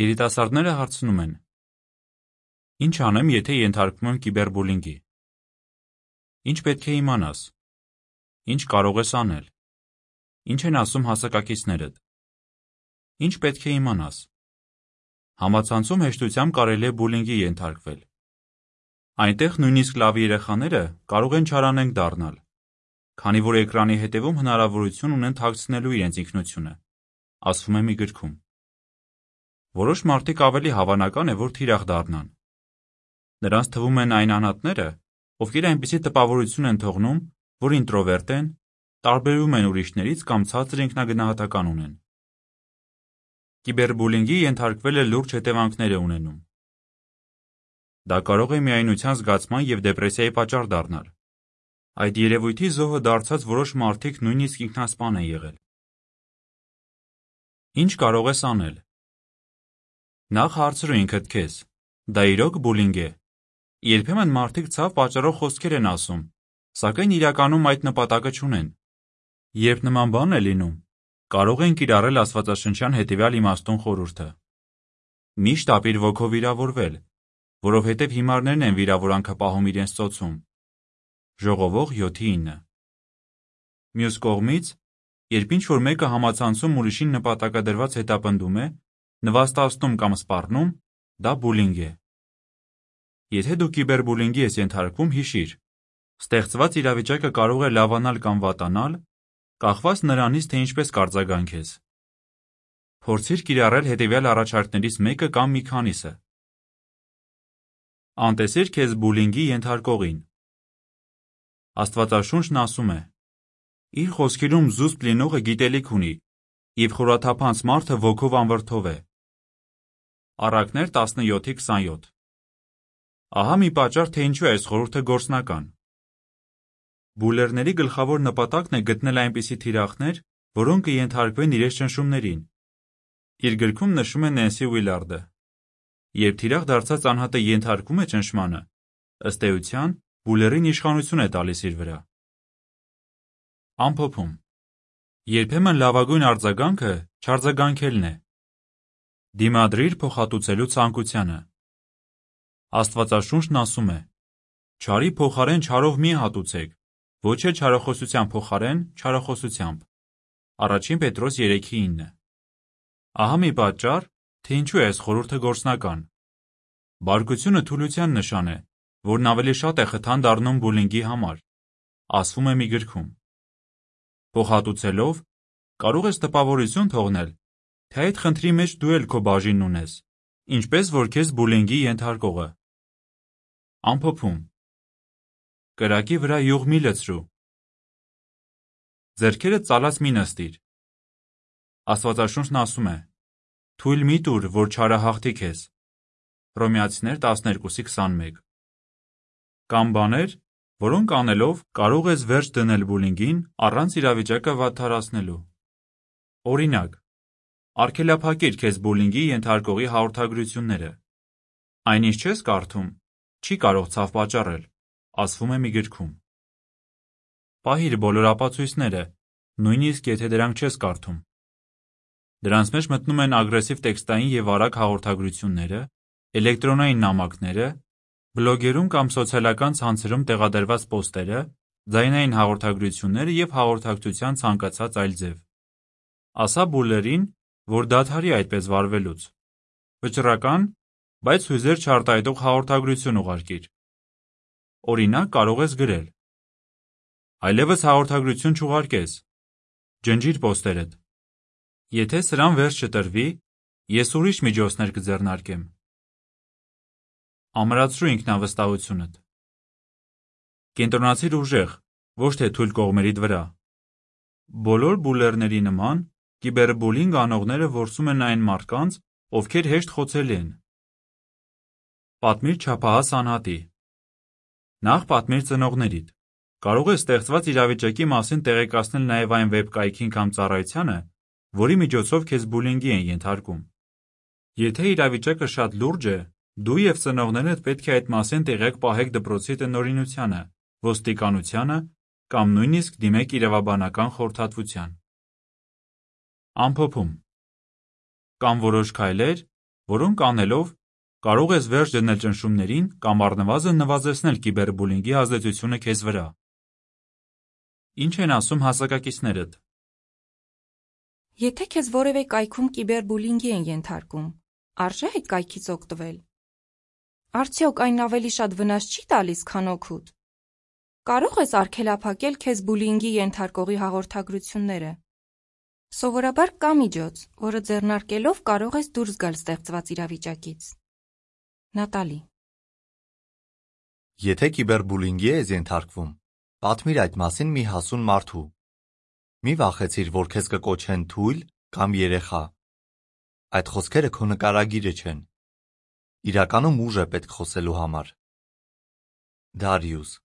Երիտասարդները հարցնում են. Ինչ անեմ, եթե ենթարկվում եմ կիբերբուլինգի։ Ինչ պետք է իմանաս։ Ինչ կարող ես անել։ Ինչ են ասում հասակակիցներդ։ Ինչ պետք է իմանաս։ Համացանցում հեշտությամբ կարելի է բուլինգի ենթարկվել։ Այնտեղ նույնիսկ լավ երեխաները կարող են չարանենգ դառնալ, քանի որ էկրանի հետևում հնարավորություն ունեն թաքցնելու իրենց ինքնությունը, ասվում է մի գրքում։ Որոշ մարդիկ ավելի հավանական է, որ թիրախ դառնան։ Նրանց թվում են այն անհատները, ովքեր այնպիսի տպավորություն են թողնում, որ ինտրովերտ են, տարբերվում են ուրիշներից կամ ցածր ինքնագնահատական ունեն։ Կիբերբուլինգի ենթարկվելը լուրջ հետևանքներ է ունենում։ Դա կարող է միայնության զգացման և դեպրեսիայի պատճառ դառնալ։ Այդ երևույթի զոհը դարձած որոշ մարդիկ նույնիսկ ինքնասպան են եղել։ Ինչ կարող ես անել։ Նախ հարցրու ինքդ քեզ. դա իրոք բուլինգ է։ Երբեմն մարդիկ ցավ պատճառող խոսքեր են ասում, սակայն իրականում այդ նպատակը չունեն։ Երբ նման բան է լինում, կարող են կիրառել աստվածաշնչյան հետևյալ իմաստուն խորհուրդը. Միշտ ապիր ոգով վիրավորվել, որովհետև հիմարներն են վիրավորանքը պահում իրենց ծոցում։ Ժողովող 7:9։ Մյուս կողմից, երբ ինչ-որ մեկը համացանցում ուրիշին նպատակադրված հետապնդում է, նվաստացնում կամ սպառնում, դա բուլինգ է։ Եթե դու կիբերբուլինգի ես ենթարկվում, հիշիր, ստեղծված իրավիճակը կարող է լավանալ կամ վատանալ, կախված նրանից, թե ինչպես կարձագանքես։ Փորձիր կիրառել հետևյալ առաջարկներից մեկը կամ մի քանիսը։ Անտեսիր քեզ բուլինգի ենթարկողին։ Աստվածաշունչն ասում է. Իր խոսքերում զուսպ լինողը գիտելիք ունի, և խորաթափանց մարդը ոգով անվրդով է։ Առակներ 17:27։ Ահա մի պատճառ, թե ինչու է այս խորհուրդը գործնական։ Բուլերների գլխավոր նպատակն է գտնել այնպիսի թիրախներ, որոնք կենթարկվեն իրենց ճնշումներին։ Իր գրքում նշում է Նենսի Ուիլարդը. Երբ թիրախ դարձած անհատը ենթարկվում է ճնշմանը, ըստ էության, բուլերին իշխանություն է տալիս իր վրա։ Ամփոփում. Երբեմն լավագույն արձագանքը չարձագանքելն է։ Դիմադրիր փոխհատուցելու ցանկությանը։ Աստվածաշունչն ասում է. Չարի փոխարեն չարով մի հատուցեք, ոչ էլ չարախոսության փոխարեն չարախոսությամբ։ Առաջին Պետրոս 3:9։ Ահա մի պատճառ, թե ինչու է այս խորհուրդը գործնական։ Բարկությունը թուլության նշան է, որն ավելի շատ է խթան դառնում բուլինգի համար, ասվում է մի գրքում։ Փոխհատուցելով, կարող ես տպավորություն թողնել, թե այդ խնդրի մեջ դու էլ քո բաժինն ունես, ինչպես որ քեզ բուլինգի ենթարկողը։ Ամփոփում. Կրակի վրա յուղ մի լցրու։ Ձեռքերդ ծալած մի նստիր։ Աստվածաշունչն ասում է. Թույլ մի տուր, որ չարը հաղթի քեզ։ Հռոմեացիներ 12:21։ Կամ բաներ, որոնք անելով կարող ես վերջ դնել բուլինգին առանց իրավիճակը վատթարացնելու։ Օրինակ, արգելափակիր քեզ բուլինգի ենթարկողի հաղորդագրությունները։ Այնինչ չես կարդում, չի կարող ցավ պատճառել, ասվում է մի գրքում։ Պահիր բոլոր ապացույցները, նույնիսկ եթե դրանք չես կարդում։ Դրանց մեջ մտնում են ագրեսիվ տեքստային և արագ հաղորդագրությունները, էլեկտրոնային նամակները, բլոգերում կամ սոցիալական ցանցերում տեղադրված պոստերը, ձայնային հաղորդագրությունները և հաղորդակցության ցանկացած այլ ձև։ Ասա բուլերին, որ դադարի այդպես վարվելուց։ Վճռական, բայց հույզեր չարտահայտող հաղորդագրություն ուղարկիր։ Օրինակ կարող ես գրել. Այլևս հաղորդագրություն չուղարկես։ Ջնջիր պոստերդ։ Եթե սրան վերջ չտրվի, ես ուրիշ միջոցներ կձեռնարկեմ։ Ամրացրու ինքնավստահությունդ։ Կենտրոնացիր ուժեղ, ոչ թե թույլ կողմերիդ վրա։ Բոլոր բուլերների նման, կիբերբուլինգ անողները որսում են այն մարդկանց, ովքեր հեշտ խոցելի են։ Պատմիր չափահաս անհատի։ Նախ պատմիր ծնողներիդ։ Կարող ես ստեղծված իրավիճակի մասին տեղեկացնել նաև այն վեբկայքին կամ ծառայությանը, որի միջոցով քեզ բուլինգի են ենթարկում։ Եթե իրավիճակը շատ լուրջ է, դու և ծնողներդ պետք է այդ մասին տեղյակ պահեք դպրոցի տնօրինությանը, ոստիկանությանը կամ նույնիսկ դիմեք իրավաբանական խորհրդատվության։ Ամփոփում. Կան որոշ քայլեր, որոնք անելով կարող ես վերջ դնել ճնշումներին կամ առնվազն նվազեցնել կիբերբուլինգի ազդեցությունը քեզ վրա։ Ինչ են ասում հասակակիցներդ։ Եթե քեզ որևէ կայքում կիբերբուլինգի են ենթարկում, արժե այդ կայքից օգտվել։ Արդյոք այն ավելի շատ վնաս չի տալիս, քան օգուտ։ Կարող ես արգելափակել քեզ բուլինգի ենթարկողի հաղորդագրությունները։ Սովորաբար կա միջոց, որը ձեռնարկելով կարող ես դուրս գալ ստեղծված իրավիճակից։ Նատալի։ Եթե կիբերբուլինգի ես ենթարկվում, պատմիր այդ մասին մի հասուն մարդու։ Մի վախեցիր, որ քեզ կկոչեն թույլ կամ երեխա։ Այդ խոսքերը քո նկարագիրը չեն։ Իրականում ուժ է պետք խոսելու համար։ Դարիուս։